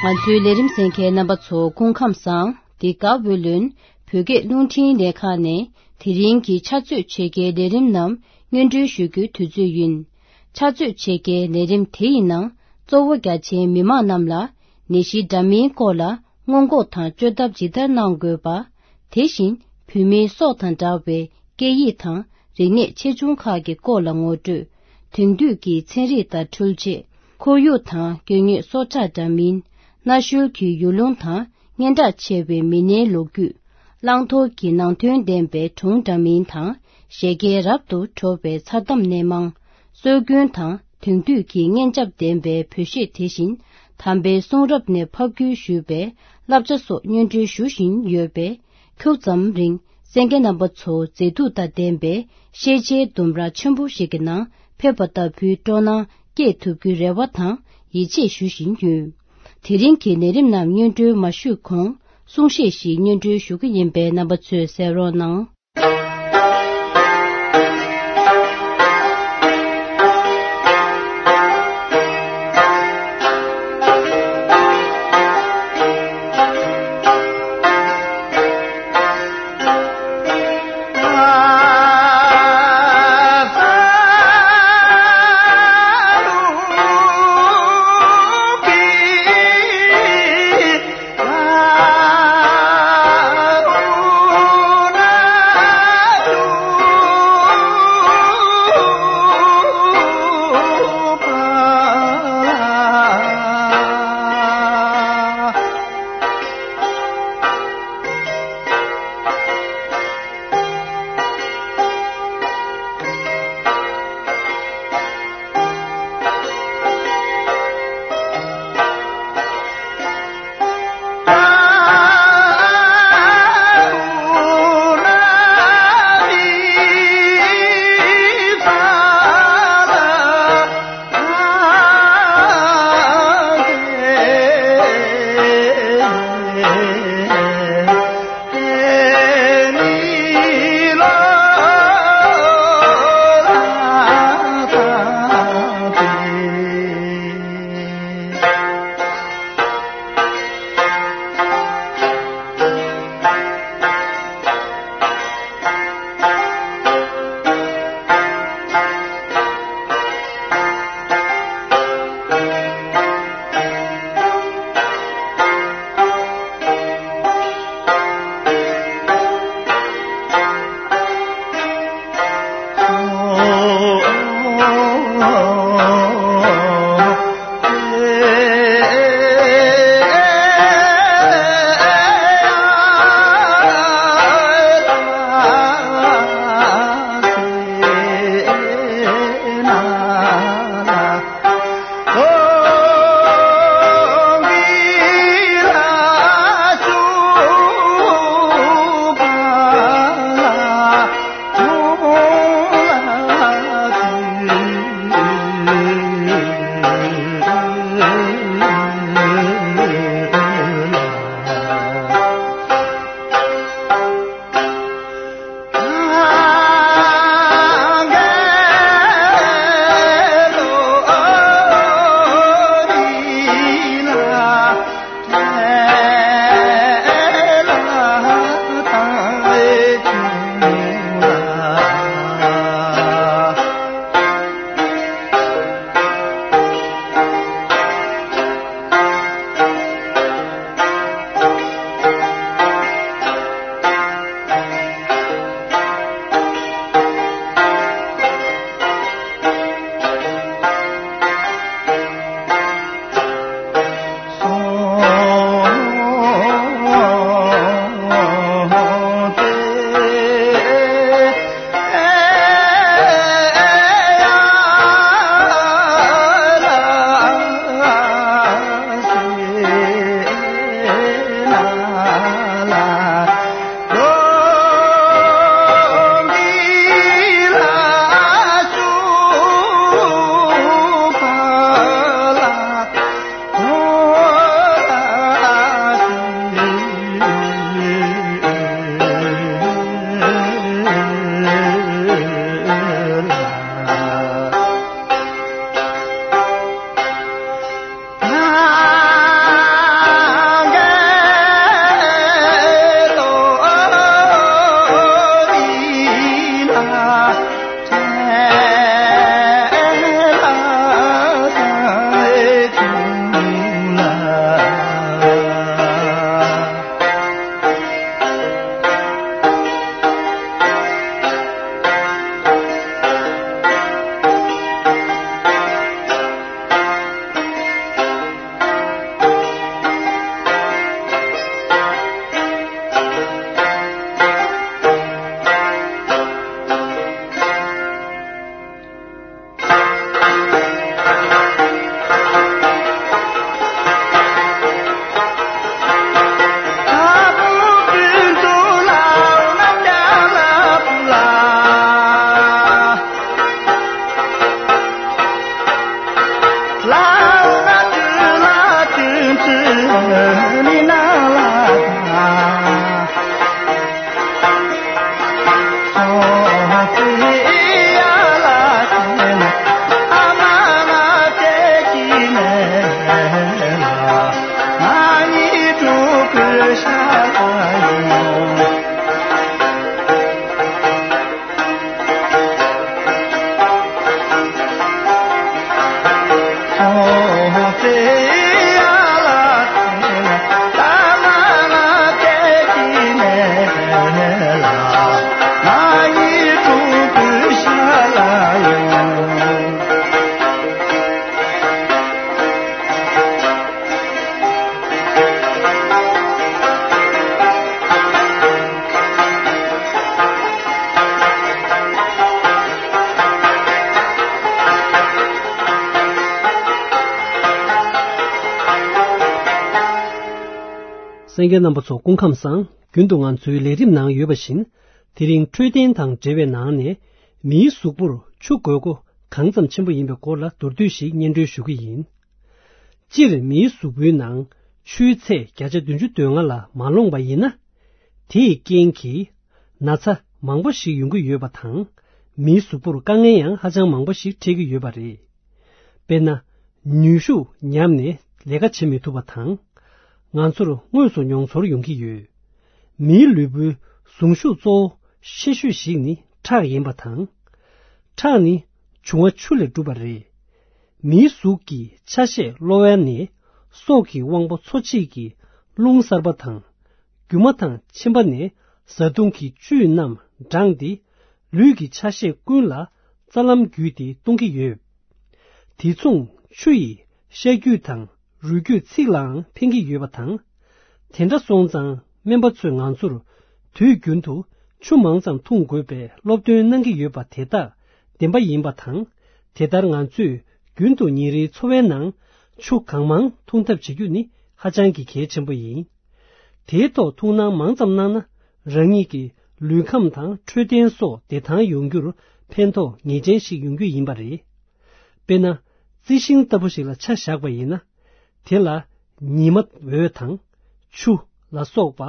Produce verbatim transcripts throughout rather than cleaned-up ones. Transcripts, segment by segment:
ང་ཚོའི་ལས་རིམ་གསན་མཁན་རྣམ་པ་ཚོ་སྐུ་ཁམས་བཟང་། འདི་ག་ཝེ་ལོན་བོད་སྐད་རླུང་འཕྲིན་ལས་ཁང་ནས་དེ་རིང་གི་ཕྱག་ཚོད་ཕྱེད་ཀའི་ལས་རིམ་རྣམས་སྙན་སྒྲོན་ཞུ་རྒྱུའི་དུས་ཚོད་ཡིན། ཕྱག་ཚོད་ཕྱེད་ཀའི་ལས་རིམ་དེ་ཡི་ནང་གཙོ་བོ་རྒྱ་ཆེའི་མི་མང་རྣམས་ལ་ནད་གཞི་འདྲ་མིན་སྐོར་ལ་སྔོན་འགོག་དང་བཅོས་ཐབས་ཇི་ལྟར་གནང་དགོས་པ། དེ་བཞིན་བོད་མིའི་སྲོག་དང་འདྲ་བའི་སྐད་ཡིག་དང་རིག་གནས་ཆེ་ཆུང་ཁག་གི་སྐོར་ལ་ངོ་སྤྲོད། དེང་དུས་ཀྱི་ཚན་རིག་དང་འཕྲུལ་ཆས། ཁོར་ཡུག་དང་སྐྱེ་དངོས་སྲོག་ཆགས་འདྲ་མིན། གནའ་ཤུལ་གྱི་ཡུལ་ལུང་དང་སྙན་གྲགས་ཆེ་བའི་མི་སྣའི་ལོ་རྒྱུས། བླང་དོར་གྱི་ནང་དོན་ལྡན་པའི་སྒྲུང་འདྲ་མིན་དང་། བཞད་གད་རབ་ཏུ་བྲོ་བའི་མཚར་གཏམ་སྣེ་མང་། སྲོལ་རྒྱུན་དང་དེང་དུས་ཀྱི་སྙན་འཇེབས་ལྡན་པའི་བོད་གཞས། དེ་བཞིན་དམ་པའི་གསུང་རབ་ནས་ཕབ་བསྒྱུར་ཞུས་པའི་བསླབ་བྱ་སོགས་སྙན་སྒྲོན་ཞུ་བཞིན་ཡོད་པས། ཁྱུག་ཙམ་རིང་གསན་མཁན་རྣམ་པ་ཚོ་མཛེས་སྡུག་དང་ལྡན་པའི་ཤེས་བྱའི་ལྡུམ་ར་ཆེན་པོ་ཞིག་གི་ནང་ཕེབས་པ་ལྟ་བུའི་སྤྲོ་སྣང་སྐྱེས་ཐུབ་རྒྱུའི་རེ་བ་དང་ཡིད་ཆེས་ཞུ་བཞིན་ཡོད། དེ་རིང་གི་ལས་རིམ་རྣམས་སྙན་སྒྲོན་མ་ཞུས་གོང་གསུང་བཤད་ཞིག་སྙན་སྒྲོན་ཞུ་གི་ཡིན་པས། རྣམ་པ་ཚོས་གསན་རོགས་གནང་། གསན་མཁན་རྣམ་པ་ཚོ་སྐུ་ཁམས་བཟང་། རྒྱུན་དུ་ང་ཚོའི་ལས་རིམ་ནང་ཡོད་པ་བཞིན། དེ་རིང་འཕྲོད་བསྟེན་དང་འབྲེལ་བའི་ནང་ནས། མིའི་གཟུགས་པོར་ཆུ་དགོས་མཁོ་གང་ཙམ་ཆེན་པོ་ཡིན་པའི་སྐོར་ལ་མདོར་བསྡུས་ཤིག་སྙན་སྒྲོན་ཞུ་གི་ཡིན། སྤྱིར་མིའི་གཟུགས་པོའི་ནང་ཆུའི་ཚད་བརྒྱ་ཆ་བདུན་ཅུ་དོན་ལྔ་ལ་མ་ལོངས་པ་ཡིན་ན། དེའི་རྐྱེན་གྱིས་ན་ཚ་མང་པོ་ཞིག་ཡོང་གི་ཡོད་པ་དང་། མིའི་གཟུགས་པོར་དཀའ་ངལ་ཡང་ཧ་ཅང་མང་པོ་ཞིག་འཕྲད་ཀྱི་ཡོད་པ་རེད། དཔེར་ན། ནུས་ཤུགས་ཉམས་ནས་ལས་ཀ་བྱེད་མི་ཐུབ་པ་དང་། ང་ཚོར་དངོས་སུ་མྱོང་ཚོར་ཡོང་གི་ཡོད། མིའི་ལུས་པོའི་ཟུངས་ཤུགས་གཙོ་བོ་ཆེ་ཤོས་ཤིག་ནི་ཁྲག་ཡིན་པ་དང་། ཁྲག་ནི་འབྱུང་བ་ཆུ་ལས་གྲུབ་པ་རེད། མིའི་གཟུགས་ཀྱི་ཆ་ཤས་གློ་བ་ནས་སྲོག་གི་དབང་པོ་འཚོ་བྱེད་ཀྱི་རླུང་གསར་པ་དང་། རྒྱུ་མ་དང་མཆིན་པ་ནས་བཟའ་བཏུང་གི་བཅུད་རྣམས་འགྲངས་ཏེ། ལུས་ཀྱི་ཆ་ཤས་ཀུན་ལ་རྩ་ལམ་བརྒྱུད་དེ་གཏོང་གི་ཡོད། དེ་མཚུངས་ཆུ་ཡིས་ཤ་རྒྱུས་དང་རུས་རྒྱུད་ཚིགས་ལའང་ཕན་གྱི་ཡོད་པ་དང་། དེ་འདྲ་སོང་ཙང་སྨན་པ་ཚོས་ང་ཚོར་དུས་རྒྱུན་དུ་ཆུ་མང་ཙམ་འཐུང་དགོས་པའི་སློབ་སྟོན་གནང་གི་ཡོད་པ་དེ་དག་བདེན་པ་ཡིན་པ་དང་། དེ་ལྟར་ང་ཚོས་རྒྱུན་དུ་ཉིན་རེའི་འཚོ་བའི་ནང་ཆུ་གང་མང་འཐུང་ཐབས་བྱེད་རྒྱུ་ནི་ཧ་ཅང་གི་གལ་ཆེན་པོ་ཡིན། དེའི་ཐོག་ཐུགས་སྣང་མང་ཙམ་གནང་ན། རང་ཉིད་ཀྱི་ལུས་ཁམས་དང་འཕྲོད་བསྟེན་སོགས་བདེ་ཐང་ཡོང་རྒྱུར་ཕན་ཐོགས་ངེས་ཅན་ཞིག་ཡོང་རྒྱུ་ཡིན་པ་རེད། དཔེར་ན། རྩི་ཤིང་ལྟ་བུ་ཞིག་ལ་ཆ་བཞག་པ་ཡིན་ན། དེ་ལ་ཉི་མ་འོད་དང་ཆུ་ལ་སོགས་པ་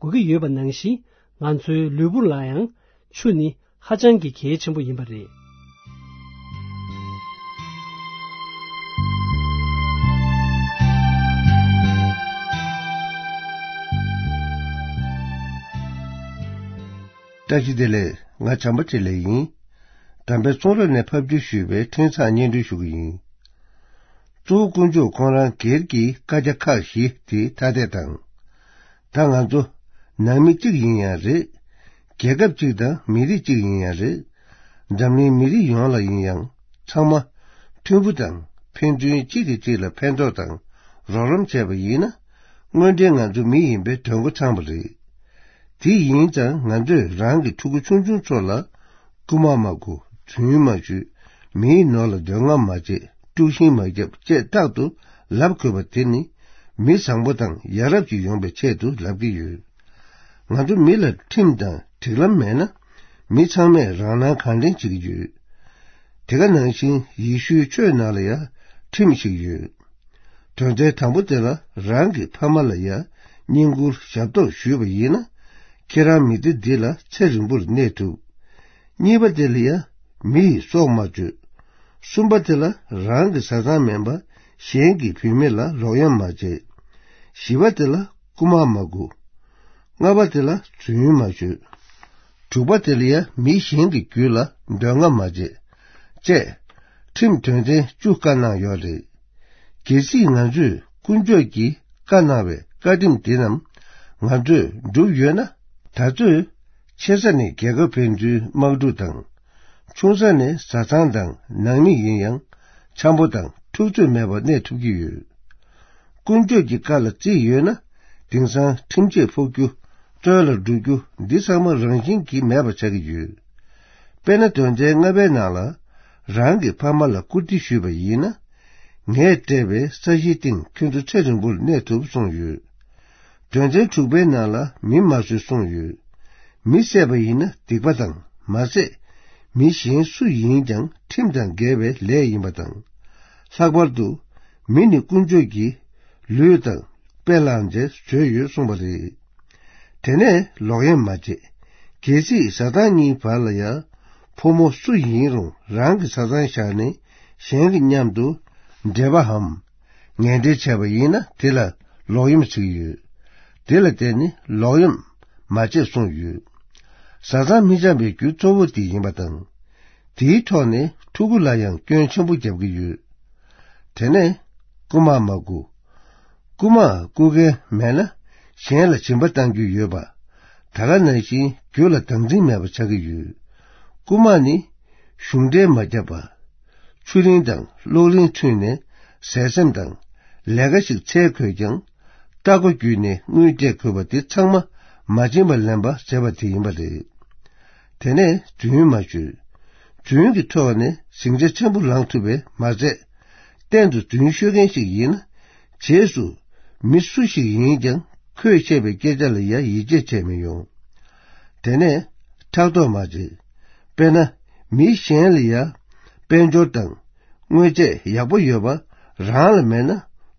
དགོས་ཀྱི་ཡོད་པ་ནང་བཞིན། ང་ཚོའི་ལུས་པོ་ལ་ཡང་ཆུ་ནི་ཧ་ཅང་གི་གལ་ཆེན་པོ་ཡིན་པ་རེད། བཀྲ་ཤིས་བདེ་ལེགས། ང་བྱམས་པ་འཕྲིན་ལས་ཡིན། དམ་པའི་གསུང་རབ་ནས་ཕབ་བསྒྱུར་ཞུས་པའི་འཕྲིན་བཟང་སྙན་སྒྲོན་ཞུ་གི་ཡིན། གཙོ་བོ་དཀོན་མཆོག་ཁོང་རང་སྒེར་གྱི་བཀའ་རྒྱ་ཁག་བཞི་དེ་ཐ་དད་དང་། ད་ང་ཚོ་ནང་མི་གཅིག་ཡིན་ཡང་རེད། རྒྱལ་ཁབ་གཅིག་དང་མི་རིགས་གཅིག་ཡིན་ཡང་རེད། འཛམ་གླིང་མི་རིགས་ཡོངས་ལ་ཡིན་ཡང་ཚང་མ་མཐུན་པོ་དང་ཕན་ཚུན་གཅིག་གིས་གཅིག་ལ་ཕན་ཐོགས་དང་རོགས་རམ་བྱས་པ་ཡིན་ན། དངོས་འབྲེལ་ང་ཚོ་མི་ཡིན་པའི་དོན་གོ་ཚང་པ་རེད། དེ་ཡིན་ཙང་ང་ཚོས་རང་གི་ཕྲུ་གུ་ཆུང་ཆུང་ཚོ་ལ་རྐུ་མ་མ་རྐུ། རྫུན་མ་ཤོད། མིའི་ནོར་ལ་འདོད་རྔམ་མ་བྱེད། དཀྲུག་ཤིང་མ་རྒྱབ་ཅེས་རྟག་ཏུ་ལབ་དགོས་པ་དེ་ནི་མི་བཟང་པོ་དང་ཡ་རབས་ཅིག་ཡོང་བའི་ཆེད་དུ་ལབ་ཀྱི་ཡོད། ང་ཚོ་མི་ལ་ཁྲིམས་དང་སྒྲིག་ལམ་མེད་ན། མི་ཚང་མས་རང་སྣང་གང་དྲན་བྱེད་ཀྱི་ཡོད། དེ་ག་ནང་བཞིན་ཡེ་ཤུའི་ཆོས་ནང་ལ་ཡང་ཁྲིམས་ཤིག་ཡོད། དོན་ཚན་དང་པོ་དེ་ལ་རང་གི་ཕ་མ་ལ་ཡང་བསྙེན་བཀུར་ཞབས་ཏོག་ཞུས་པ་ཡིན་ན། ཁྱེད་རང་མི་སྡེ་འདི་ལ་ཚེ་རིང་པོར་གནས་ཐུབ། གཉིས་པ་དེ་ལ་ཡང་མི་ཡི་སྲོག་མ་གཅོད། གསུམ་པ་དེ་ལ་རང་གི་བཟའ་ཚང་མིན་པ་གཞན་གྱི་བུད་མེད་ལ་རོགས་གཡོག་མ་བྱེད། བཞི་པ་དེ་ལ་རྐུ་མ་མ་རྐུ། ལྔ་པ་དེ་ལ་རྫུན་མ་ཤོད། དྲུག་པ་དེ་ལ་ཡང་མི་གཞན་གྱི་རྒྱུད་ལ་འདོད་རྔམ་མ་བྱེད། ཅེས་ཁྲིམས་དོན་ཚན་བཅུ་བཀའ་གནང་ཡོད་རེད། གལ་སྲིད་ང་ཚོས་དཀོན་མཆོག་གིས་བཀའ་གནང་བའི་བཀའ་ཁྲིམས་འདི་རྣམས་ང་ཚོས་བསྒྲུབས་ཡོད་ན། ད་ཚོད་ཆེ་ས་ནས་རྒྱལ་ཁབ་ཕན་ཚུན་དམག་འཁྲུག་དང་། ཆུང་ས་ནས་བཟའ་ཚང་དང་ནང་མི་ཡིན་ཡང་འཆམ་པོ་དང་འཁྲུག་རྩོད་མེད་པར་གནས་ཐུབ་ཀྱི་ཡོད། དཀོན་མཆོག་གི་བཀའ་ལ་བརྩིས་ཡོད་ན། དེང་སང་ཁྲིམས་ཆད་ཕོག་རྒྱུ། བཙོན་ལ་འགྲོ་རྒྱུ་འདི་ཚང་མ་རང་བཞིན་གྱིས་མེད་པ་ཆགས་ཀྱི་ཡོད། དཔེར་ན་དོན་ཚན་ལྔ་པའི་ནང་ལ། རང་གི་ཕ་མ་ལ་བཀུར་སྟི་ཞུས་པ་ཡིན་ན། ངས་སྤྲད་པའི་ས་གཞིའི་སྟེང་ཁྱོད་ཚོ་ཚེ་རིང་པོར་གནས་ཐུབ་གསུངས་ཡོད། དོན་ཚན་དྲུག་པའི་ནང་ལ་མི་མ་གསོད་གསུངས་ཡོད། མི་བསད་པ་ཡིན་ན་སྡིག་པ་དང་མ་ཟད། མི་གཞན་སུ་ཡིན་ཀྱང་ཁྲིམས་དང་འགལ་བའི་ལས་ཡིན་པ་དང་། ལྷག་པར་དུ་མི་ནི་དཀོན་མཆོག་གི་ལུས་དང་དཔེ་བླངས་ཏེ་བཟོས་ཡོད་གསུངས་པ་རེད། དེ་ནས་ལོག་གཡེམ་མ་བྱེད། གལ་སྲིད་བཟའ་ཟླ་གཉིས་བར་ལ་ཡང་ཕོ་མོ་སུ་ཡིན་རུང་རང་གི་བཟའ་ཚང་བཞག་ནས་གཞན་གྱི་མཉམ་དུ་འབྲེལ་བའམ་ངན་འབྲེལ་བྱས་པ་ཡིན་ན་དེ་ལ་ལོག་གཡེམ་ཟེར་གྱི་ཡོད། དེ་ལ་བརྟེན་ནས་ལོག་གཡེམ་མ་བྱེད་གསུངས་ཡོད། བཟའ་ཚང་མི་འཆམ་པའི་རྒྱུ་གཙོ་བོ་དེ་ཡིན་པ་དང་། དེའི་ཐོག་ནས་ཕྲུ་གུ་ལ་ཡང་སྐྱོན་ཆེན་པོ་རྒྱབ་ཀྱི་ཡོད། དེ་ནས་རྐུ་མ་མ་རྐུ། རྐུ་མ་རྐུ་མཁན་མེད་ན་གཞན་ལ་སྦྱིན་པ་གཏང་རྒྱུ་ཡོད་པ། ད་ག་ནང་བཞིན་རྒྱུ་ལ་བདག་འཛིན་མེད་པ་ཆགས་ཀྱི་ཡོད། རྐུ་མ་ནི་གཞུང་འབྲེལ་མ་བརྒྱབ་པ། ཆུ་གླིང་དང་གློག་གླིང་ཚུད་ནས་ཟས་སེམས་དང་ལས་ཀ་ཞིག་འཚོལ་དགོས་ཀྱང་། ལྟ་སྒོ་བརྒྱུད་ནས་དངུལ་སྤྲད་དགོས་པ་དེ་ཚང་མ་མ་བྱིན་པ་ལེན་པ་ཟེར་བ་དེ་ཡིན་པ་རེད། དེ་ནས་རྫུན་མ་ཤོད། རྫུན་གྱི་ཐོག་ནས་ཟིང་ཆ་ཆེན་པོ་ལངས་ཐུབ་པས་མ་ཚད། གཏན་དུ་རྫུན་ཤོད་མཁན་ཞིག་ཡིན་ན། རྗེས་སུ་མི་སུ་ཞིག་ཡིན་ཀྱང་ཁོས་བཤད་པའི་སྐད་ཆ་ལ་ཡང་ཡིད་ཆེས་བྱས་མི་ཡོང་། དེ་ནས་ཕྲག་དོག་མ་བྱེད། དཔེར་ན། མི་གཞན་ལ་ཡང་དཔལ་འབྱོར་དང་དངོས་ཆས་ཡག་པོ་ཡོད་པ་རང་ལ་མེད་ན་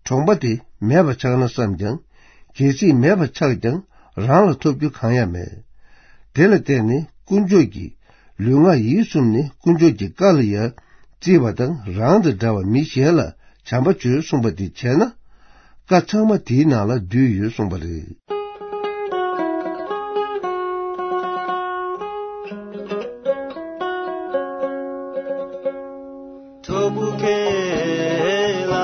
གྲོང་པ་དེ་མེད་པ་ཆགས་ན་བསམ་ཀྱང་། གལ་སྲིད་མེད་པ་ཆགས་ཀྱང་རང་ལ་ཐོབ་རྒྱུ་གང་ཡང་མེད། དེ་ལ་བརྟེན་ནས་དཀོན་མཆོག་གི་ལུས་ངག་ཡིད་གསུམ་ནི་དཀོན་མཆོག་གི་བཀའ་ལ་ཡང་བརྩིས་པ་དང་། རང་དང་འདྲ་བ་མི་གཞན་ལ་བྱམས་པ་བྱོས་གསུངས་པ་དེ་བྱས་ན། བཀའ་ཚང་མ་དེའི་ནང་ལ་འདུས་ཡོད་གསུངས་པ་རེད། ཐུབ་བསྐྱེད་ལ།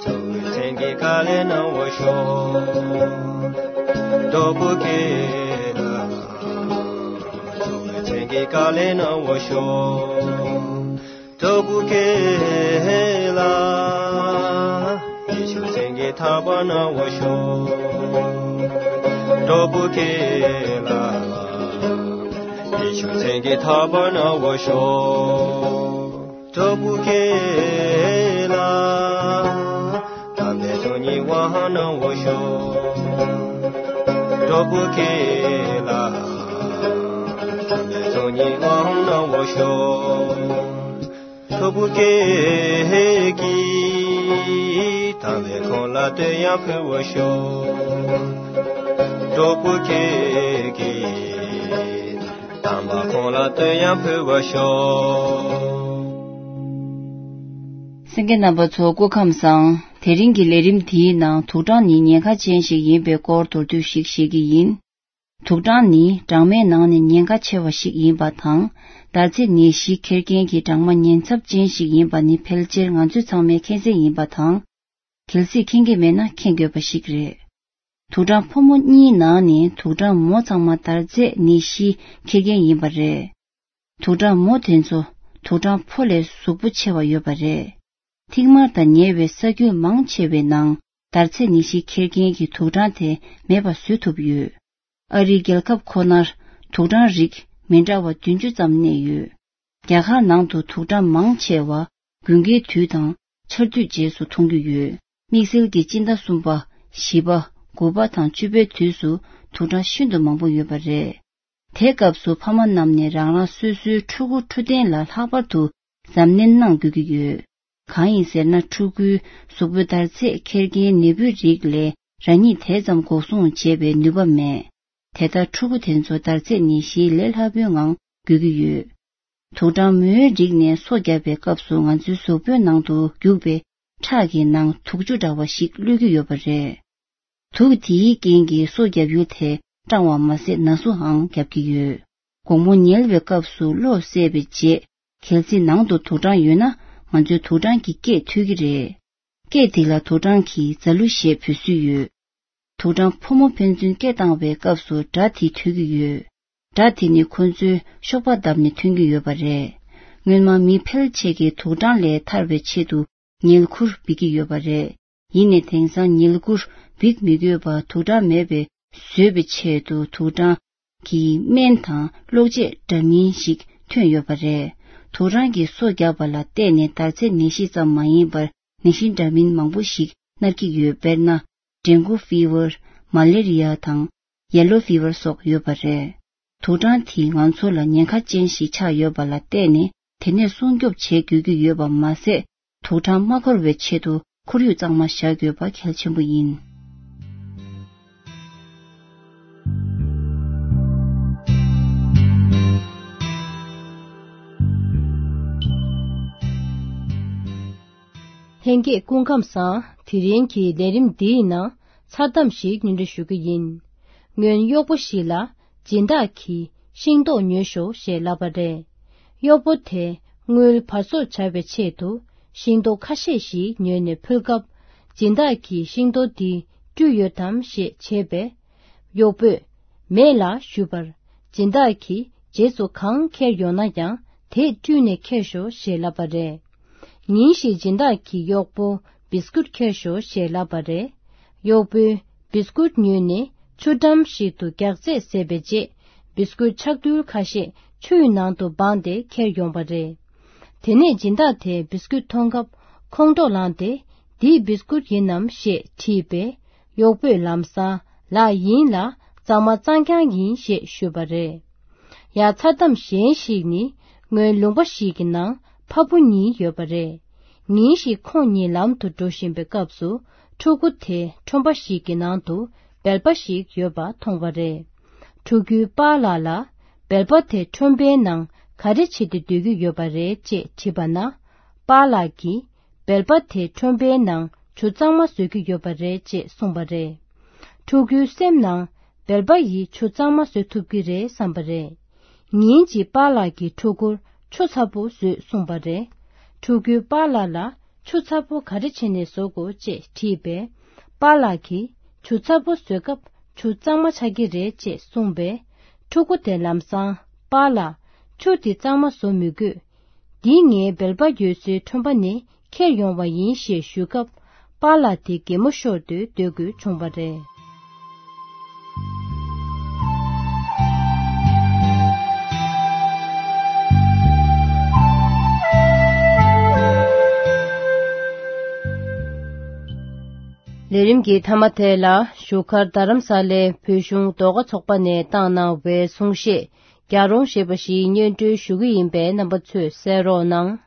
ཐུབ་པའི་སེང་གེ་ག་ལེ་ན་འོ་ཤོ། ཐུབ་བསྐྱེད་ལ། ཐུབ་པའི་སེང་གེ་ག་ལེ་ན་འོ་ཤོ། ཐུབ་བསྐྱེད་ལ། ཡེ་ཤེས་སེང་གེ་ཐར་པ་ན་འོ་ཤོ། ཐུབ་བསྐྱེད་ལ། ཡེ་ཤེས་སེང་གེ་ཐར་པ་ན་འོ་ཤོ། ཐུབ་བསྐྱེད་ལ། ཐར་པའི་སྟོང་ཉིད་དབང་ན་འོ་ཤོ། ཐུབ་བསྐྱེད་ལ། ཐར་པའི་སྟོང་ཉིད་དབང་ན་འོ་ཤོ། ཐུབ་བསྐྱེད་ཀྱིས། དམ་པའི་ཁོང་ལ་བསྟོད་དབྱངས་ཕུལ་བར་ཤོག། ཐུབ་བསྐྱེད་ཀྱིས། དམ་པ་ཁོང་ལ་བསྟོད་དབྱངས་ཕུལ་བར་ཤོག། གསན་མཁན་རྣམ་པ་ཚོ་སྐུ་ཁམས་བཟང་། དེ་རིང་གི་ལས་རིམ་འདིའི་ནང་དུག་སྦྲང་ནི་ཉེན་ཁ་ཅན་ཞིག་ཡིན་པའི་སྐོར་མདོར་བསྡུས་ཤིག་བཤད་ཀྱི་ཡིན། དུག་སྦྲང་ནི་སྦྲང་མའི་ནང་ནས་ཉེན་ཁ་ཆེ་བ་ཞིག་ཡིན་པ་དང་། འདར་ཚད་ནད་གཞི་འཁྱེར་མཁན་གྱི་སྦྲང་མ་ཉེན་ཚབས་ཅན་ཞིག་ཡིན་པ་ནི་ཕལ་ཆེར་ང་ཚོ་ཚང་མས་མཁྱེན་གསལ་ཡིན་པ་དང་། གལ་སྲིད་མཁྱེན་གྱི་མེད་ན་མཁྱེན་དགོས་པ་ཞིག་རེད། དུག་སྦྲང་ཕོ་མོ་གཉིས་ནང་ནས་དུག་སྦྲང་མོ་ཚང་མ་འདར་ཚད་ནད་གཞི་འཁྱེར་མཁན་ཡིན་པ་རེད། དུག་སྦྲང་མོ་དེ་ཚོ་དུག་སྦྲང་ཕོ་ལས་གཟུགས་པོ་ཆེ་བ་ཡོད་པ་རེད། ཐིག་དམར་དང་ཉེ་བའི་ས་ཁུལ་མང་ཆེ་བའི་ནང་འདར་ཚད་ནད་གཞི་འཁྱེར་མཁན་གྱི་དུག་སྦྲང་དེ་མེད་པ་བཟོ་ཐུབ་ཡོད། ཨ་རིའི་རྒྱལ་ཁབ་ཁོ་ནར་དུག་སྦྲང་རིགས་མི་འདྲ་བ་བདུན་ཅུ་ཙམ་གནས་ཡོད། རྒྱ་གར་ནང་དུ་དུག་སྦྲང་མང་ཆེ་བ་དགུན་ཁའི་དུས་དང་ཆར་དུས་རྗེས་སུ་མཐོང་རྒྱུ་ཡོད། དམིགས་བསལ་གྱི་སྤྱི་ཟླ་གསུམ་པ། བཞི་པ། དགུ་པ་དང་བཅུ་པའི་དུས་སུ་དུག་སྦྲང་ཤིན་ཏུ་མང་པོ་ཡོད་པ་རེད། དེ་སྐབས་སུ་ཕ་མ་རྣམས་ནས་རང་རང་སོ་སོའི་ཕྲུ་གུ་འཕྲོད་བསྟེན་ལ་ལྷག་པར་དུ་གཟབ་ནན་གནང་དགོས་ཀྱི་ཡོད། གང་ཡིན་ཟེར་ན། ཕྲུ་གུའི་གཟུགས་པོའི་འདར་ཚད་འཁྱེར་མཁན་ནད་འབུའི་རིགས་ལས་རང་ཉིད་དེ་ཙམ་འགོག་སྲུང་བྱེད་པའི་ནུས་པ་མེད། དེ་ལྟར་ཕྲུ་གུ་དེ་ཚོ་འདར་ཚད་ནད་གཞིའི་ལས་སླ་པོའི་ངང་འགོས་ཀྱི་ཡོད། དུག་སྦྲང་མོའི་རིགས་ནས་སོ་བརྒྱབ་པའི་སྐབས་སུ་ང་ཚོའི་གཟུགས་པོའི་ནང་དུ་རྒྱུག་པའི་ཁྲག་གི་ནང་དུག་ཆུ་འདྲ་བ་ཞིག་བླུགས་ཀྱི་ཡོད་པ་རེད། དུག་དེའི་རྐྱེན་གྱིས་སོ་བརྒྱབ་ཡུལ་དེ་སྐྲངས་པ་མ་ཟད་ན་ཟུག་འང་རྒྱབ་ཀྱི་ཡོད། དགོང་མོ་ཉལ་བའི་སྐབས་སུ་གློ་བསལ་བའི་རྗེས། གལ་སྲིད་ནང་དུ་དུག་སྦྲང་ཡོད་ན། ང་ཚོའི་དུག་སྦྲང་གི་སྐད་ཐོས་ཀྱི་རེད། སྐད་དེ་ལ་དུག་སྦྲང་གིས་རྫ་གླུ་ཞེས་འབོད་སྲོལ་ཡོད། དུག་སྦྲང་ཕོ་མོ་ཕན་ཚུན་སྐད་བཏང་བའི་སྐབས་སུ་སྒྲ་དེ་ཐོས་ཀྱི་ཡོད། སྒྲ་དེ་ནི་ཁོ་ཚོས་གཤོག་པ་བརྡབས་ནས་ཐོན་གྱི་ཡོད་པ་རེད། སྔོན་མ་མི་ཕལ་ཆེར་གྱིས་དུག་སྦྲང་ལས་ཐར་བའི་ཆེད་དུ་བསྙལ་ཁུར་འབིགས་ཀྱི་ཡོད་པ་རེད། ཡིན་ནའི་དེང་སང་བསྙལ་ཁུར་འབིགས་མི་དགོས་པར་དུག་སྦྲང་མེད་པའི་བཟོ་བའི་ཆེད་དུ་དུག་སྦྲང་གི་སྨན་དང་གློག་ཆས་འདྲ་མིན་ཞིག་ཐོན་ཡོད་པ་རེད། དུག་སྦྲང་གིས་སོ་བརྒྱབ་པ་ལ་བརྟེན་ནས་འདར་ཚད་ནད་གཞི་ཙམ་མ་ཡིན་པར་ནད་གཞི་འདྲ་མིན་མང་པོ་ཞིག་མནར་གྱི་ཡོད། དཔེར་ན། dengue fever། མ་ལེ་རི་ཡ་དང་ཡེ་ལོ་ཕི་བར་སོགས་ཡོད་པ་རེད། དུག་སྦྲང་དེས་ང་ཚོ་ལ་ཉེན་ཁ་ཅན་ཞིག་ཆགས་ཡོད་པ་ལ་བརྟེན་ནས་དེ་ནས་སྲུང་སྐྱོབ་བྱེད་དགོས་ཀྱི་ཡོད་པ་མ་ཟད། དུག་སྦྲང་མ་འཁོར་བའི་ཆེད་དུ་ཁོར་ཡུག་གཙང་མ་བཞག་དགོས་པ་གལ་ཆེན་པོ་ཡིན། ལྷན་རྒྱས་སྐུ་ཁམས་བཟང་། དེ་རིང་གི་ལས་རིམ་འདིའི་ནང་མཚར་གཏམ་ཞིག་སྙན་སྒྲོན་ཞུ་གི་ཡིན། སྔོན་གཡོག་པོ་ཞིག་ལ་སྦྱིན་བདག་གིས་ཤིང་ཏོག་ཉོས་ཤོག་ཞེས་ལབ་པ་རེད། གཡོག་པོ་དེས་དངུལ་བར་གསོག་བྱ་བའི་ཆེད་དུ་ཤིང་ཏོག་ཁ་ཤས་ཤིག་ཉོས་ནས་ཕུལ་སྐབས། སྦྱིན་བདག་གིས་ཤིང་ཏོག་འདི་བཀྲུས་ཡོད་དམ་ཞེས་དྲིས་པས། གཡོག་པོས་མེད་ལགས་ཞུས་པར། སྦྱིན་བདག་གིས་རྗེས་སུ་གང་ཁྱེར་ཡོང་ན་ཡང་དེས་བཀྲུས་ནས་ཁྱེར་ཤོག་ཞེས་ལབ་པ་རེད། ཉིན་ཞིག་སྦྱིན་བདག་གིས་གཡོག་པོ་བིས་ཀུད་ཁྱེར་ཤོག་ཞེས་ལབ་པ་རེད། གཡོག་པོས་བིས་ཀུད་ཉོས་ནས་ཆུ་འགྲམ་ཞིག་ཏུ་རྒྱགས་ཚད་བཟས་པའི་རྗེས། བིས་ཀུད་ཆག་ཐུལ་ཁ་ཤས་ཆུའི་ནང་དུ་སྦངས་ཏེ་ཁྱེར་ཡོང་བ་རེད། དེ་ནས་སྦྱིན་བདག་དེས་བིས་ཀུད་མཐོང་སྐབས་ཁོང་ཁྲོ་ལངས་ཏེ། འདི་བིས་ཀུད་ཡིན་ནམ་ཞེས་དྲིས་པས། གཡོག་པོས་ལམ་སང་ལགས་ཡིན་ལགས། གཙང་མ་གཙང་རྐྱང་ཡིན་ཞེས་ཞུས་པ་རེད། ཡང་མཚར་གཏམ་གཞན་ཞིག་ནི། སྔོན་ལུང་པ་ཞིག་གི་ནང་ཕ་བུ་གཉིས་ཡོད་པ་རེད། ཉིན་ཞིག་ཁོང་གཉིས་ལམ་དུ་འགྲོ་བཞིན་པའི་སྐབས་སུ། ཕྲུ་གུ་དེ་ཁྲོན་པ་ཞིག་གི་ནང་དུ་སྦལ་པ་ཞིག་ཡོད་པ་མཐོང་བ་རེད། ཕྲུ་གུའི་པཱ་ལགས་ལ། སྦལ་པ་དེ་ཁྲོན་པའི་ནང་ག་རེ་བྱེད་དུ་སྡོད་ཀྱི་ཡོད་པ་རེད་ཅེས་དྲིས་པ་ན། པཱ་ལགས་ཀྱིས། སྦལ་པ་དེ་ཁྲོན་པའི་ནང་ཆུ་གཙང་མ་བཟོ་གི་ཡོད་པ་རེད་ཅེས་གསུངས་པ་རེད། ཕྲུ་གུའི་སེམས་ནང་སྦལ་པ་ཡིས་ཆུ་གཙང་མ་བཟོ་ཐུབ་ཀྱི་རེད་བསམ་པ་རེད། ཉིན་གཅིག་པཱ་ལགས་ཀྱིས་ཕྲུ་གུར་ཆུ་ཚ་པོ་བཟོས་གསུངས་པ་རེད། ཕྲུ་གུས་པཱ་ལགས་ལ་ཆུ་ཚ་པོ་ག་རེ་བྱས་ནས་བཟོ་དགོས་ཅེས་དྲིས་པས། པཱ་ལགས་ཀྱིས་ཆུ་ཚ་པོ་བཟོ་སྐབས་ཆུ་གཙང་མ་ཆགས་ཀྱི་རེད་ཅེས་གསུངས་པས། ཕྲུ་གུ་དེ་ལམ་སང་པཱ་ལགས་ཆུ་འདི་གཙང་མ་བཟོ་མི་དགོས། འདི་ངའི་སྦལ་པ་ཡོད་སའི་ཁྲོན་པ་ནས་ཁྱེར་ཡོང་བ་ཡིན་ཞེས་ཞུས་སྐབས། པཱ་ལགས་དེ་གད་མོ་ཤོར་ཏེ་སྡོད་དགོས་བྱུང་བ་རེད། ལས་རིམ་གྱི་མཐའ་མ་དེ་ལ་བཞུགས་སྒར་རྡ་རམ་ས་ལའི་བོད་གཞུང་ཟློས་གར་ཚོགས་པ་ནས་བཏང་གནང་བའི་གསུང་བཤད། རྒྱལ་རོང་ཞེས་པ་ཞིག་སྙན་སྒྲོན་ཞུ་གི་ཡིན་པས། རྣམ་པ་ཚོས་གསན་རོགས་གནང་།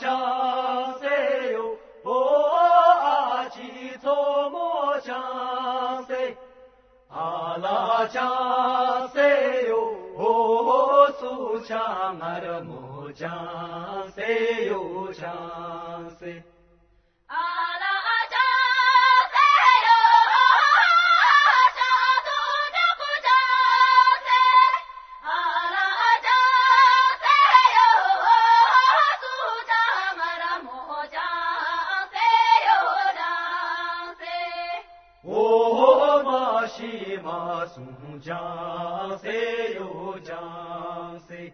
ཅང་སེ་ཡོ། ཨོ་ཨ་ཅི་མཚོ་མོ་ཅང་སེ། ཨ་ལ་ཅང་སེ་ཡོ། ཨོ་སུ་ཅང་ངར་མོ་ཅང་སེ་ཡོ་ཅང་སེ། ཨ་ལ་ཅང་སེ་ཡོ། ཅང་སུ་ཅང་ཀུ་ཅང་སེ། ཨ་ལ་ཅང་སེ་ཡོ། སུ་ཅང་ངར་མོ་ཅང་སེ་ཡོ་ཅང་སེ། ཨོ་མ་ཤི་མ་སུ་ཅང་སེ་ཡོ་ཅང་སེ།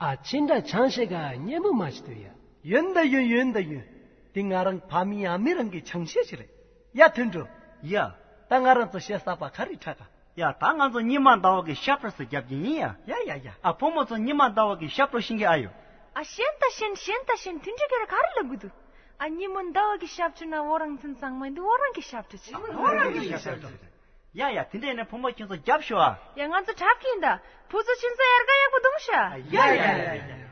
ཨ་ཕྱི་འདྲ་ཆང་ཤེས་ག་སྙན་མོ་མ་ཞིག་ཏུ་ཡ། ཡོན་ད་ཡོན་ཡོན་ད་ཡོན། དེ་ང་རང་ཕ་མི་ཨ་མི་རང་གི་ཆང་ཤེས་ཤིག་རེད། ཡ་དོན་འགྲོ། ཡ། ད་ང་རང་ཚོ་གཞས་གསར་པ་ག་རེ་འཁྲབ་ག། ཡ་ད་ང་ཚོ་ཉི་མ་ཟླ་བ་གི་ཤ་པྲོ་སུ་རྒྱབ་ཀྱི་ཡིན་ཡ། ཡ་ཡ་ཡ། ཨ་ཕོ་མོ་ཚོ་ཉི་མ་ཟླ་བ་གི་ཤ་པྲོ་ཤིང་གི་ཨ་ཡོ། ཨ་ཤེན་ད་ཤེན་ཤེན་ད་ཤེན་དོན་འགྲོ་ག་རེ་ག་རེ་ལབ་གི་འདུག་ཨ་ཉི་མ་ཟླ་བ་གི་ཤ་པྲོ་ན་འོ་རང་ཚོན་ཚང་མ་འདི་འོ་རང་གི་ཤ་པྲོ་ཆེ། འོ་རང་གི་ཤ་པྲོ་ཆེ། ཡ་ཡ་དེ་འདྲ་ཡིན་ན་ཕོ་མོ་ཁྱོད་ཚོ་རྒྱབ་ཤོག་ཨ། ཡ་ང་ཚོ་འཁྲབ་ཀྱི་ཡིན་ད། བུ་ཚོ་ཁྱོད་ཚོ་ཡར་ག་ཡག་པོ་འདུག་ཤག་ཡ་ཡ་ཡ་ཡ།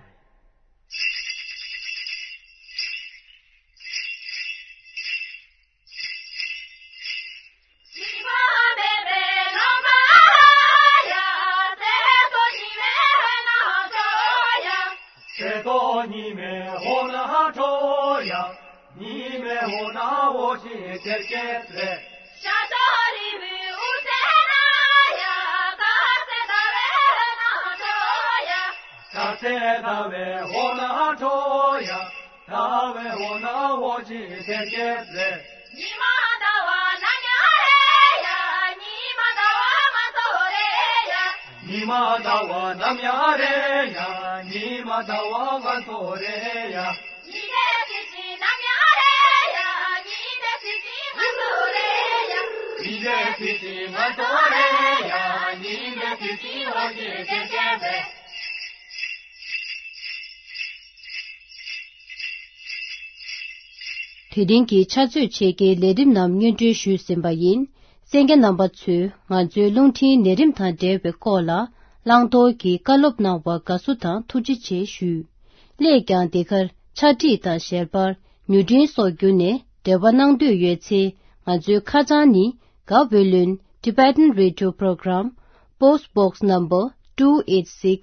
སེ་ཏོ་ཉི་མའི་འོ་ན་འཕྲོ་ཡ། ཉི་མའི་འོ་ན་འོ་ཞིག་ཆེར་སྐྱེས་རེད། ཤ་ཏོ་རི་བོའི་དབུ་རྩེ་ན་ཡ། ཀ་སེ་ཟླ་བའི་འོ་ན་འཕྲོ་ཡ། ཀ་སེ་ཟླ་བའི་འོ་ན་འཕྲོ་ཡ། ཟླ་བའི་འོ་ན་འོ་ཞིག་ཆེར་སྐྱེས་རེད། ཉི་མ་ཟླ་བ་ནམ་ཡང་རེད་ཡ། ཉི་མ་ཟླ་བ་ང་ཚོ་རེད་ཡ། ཉི་མ་ཟླ་བ་ནམ་ཡང་རེད་ཡ། ཉི་མ་ཟླ་བ་ང་ཚོ་རེད་ཡ། ཉི་མའི་ཚེ་ཆེན་ནམ་ཡང་རེད་ཡ། ཉི་མའི་ཚེ་ཆེན་ང་ཚོ་རེད་ཡ། ཉི་མའི་ཚེ་ཆེན་ང་ཚོ་རེད་ཡ། ཉི་མའི་ཚེ་ཆེན་འོ་ཞིག་ཆེར་སྐྱེས་རེད། དེ་རིང་གི་ཕྱག་ཚོད་ཕྱེད་ཀའི་ལས་རིམ་རྣམས་སྙན་སྒྲོན་ཞུས་ཟིན་པ་ཡིན། གསན་མཁན་རྣམ་པ་ཚོས་ང་ཚོའི་རླུང་འཕྲིན་ལས་རིམ་དང་འབྲེལ་བའི་སྐོར་ལ་བླང་དོར་གྱི་བཀའ་སློབ་གནང་བར་དགའ་བསུ་དང་ཐུགས་རྗེ་ཆེ་ཞུ། སླད་ཀྱང་འདི་གར་ཕྱག་བྲིས་དང་ཞལ་པར། མྱུར་འཕྲིན་སོགས་བརྒྱུད་ནས་འབྲེལ་བ་གནང་འདོད་ཡོད་ཚེ། ང་ཚོའི་ཁ་བྱང་ནི། Gaweylon Tibetan Radio Program, Post Box Number two eight six,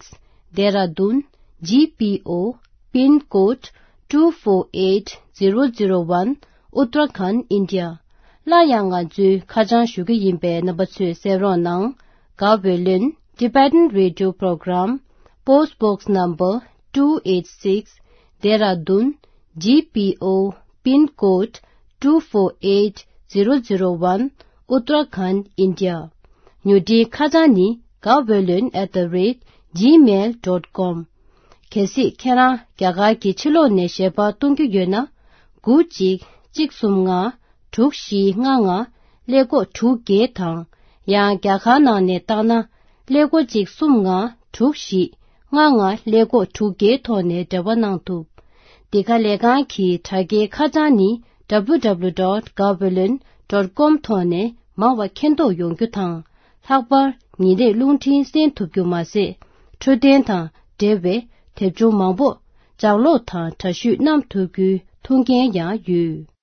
Dehradun, G P O, Pin Code two four eight zero zero one, Uttarakhand, India. སླར་ཡང་ང་ཚོའི་ཁ་བྱང་ཞུ་གི་ཡིན་པས་རྣམ་པ་ཚོས་གསན་རོགས་གནང་། Gaweylon Tibetan Radio Program, Post Box Number two eight six, Dehradun, G P O, Pin Code two four eight zero zero one, Uttarakhand, India. མྱུར་འཕྲིན་ཁ་བྱང་ནི། gaweylon at the rate gmail dot com། གལ་སྲིད་ཁྱེད་རང་རྒྱ་གར་གྱི་ཕྱི་ལོགས་ནས་ཞལ་པར་གཏོང་རྒྱུ་ཡོད་ན། དགུ་གཅིག་གཅིག་གསུམ་ལྔ། དྲུག་བཞི་ལྔ་ལྔ། ཀླད་ཀོར་དྲུག་བརྒྱད་དང་། ཡང་རྒྱ་གར་ནང་ནས་བཏང་ན། ཀླད་ཀོར་གཅིག་གསུམ་ལྔ། དྲུག་བཞི་ལྔ་ལྔ། ཀླད་ཀོར་དྲུག་བརྒྱད་ཐོག་ནས་འབྲེལ་བ་གནང་ཐུབ། འདི་ག་ལས་ཁང་གི་དྲ་རྒྱའི་ཁ་བྱང་ནི། W W W dot gaweylon dot com ཐོག་ནས་མང་བ་མཁྱེན་རྟོགས་ཡོང་རྒྱུ་དང་། ལྷག་པར་ཉིན་རེར་རླུང་འཕྲིན་གསན་ཐུབ་རྒྱུ་མ་ཟད། འཕྲོད་བསྟེན་དང་འབྲེལ་བའི་དེབ་ཆུང་མང་པོ་ལྗགས་ཀློག་དང་འདྲ་བཤུས་གནང་ཐུབ་རྒྱུའི་ཐུགས་འགན་ཡང་ཡོད།